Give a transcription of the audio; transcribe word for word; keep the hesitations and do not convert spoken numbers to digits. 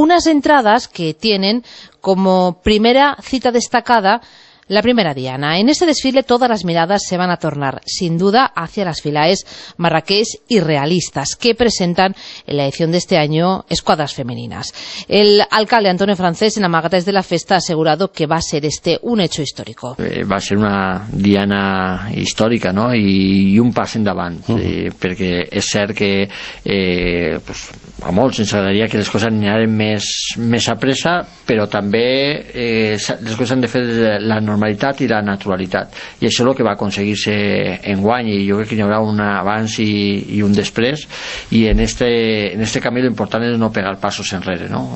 Unas entradas que tienen como primera cita destacada la primera diana. En este desfile todas las miradas se van a tornar, sin duda, hacia las filaes marrakech y realistas, que presentan en la edición de este año escuadras femeninas. El alcalde Antonio Francés, en Amagates de la Festa, ha asegurado que va a ser este un hecho histórico. Eh, va a ser una diana històrica, no? I, i un pas endavant, uh -huh. eh, perquè és cert que eh, pues, a molts ens agradaria que les coses anaren més, més a pressa, però també eh, les coses han de fer de la normalitat i la naturalitat, i això és el que va aconseguir-se enguany, i jo crec que hi haurà un abans i, i un després, i en este, en este camí l'important és no pegar passos enrere, no?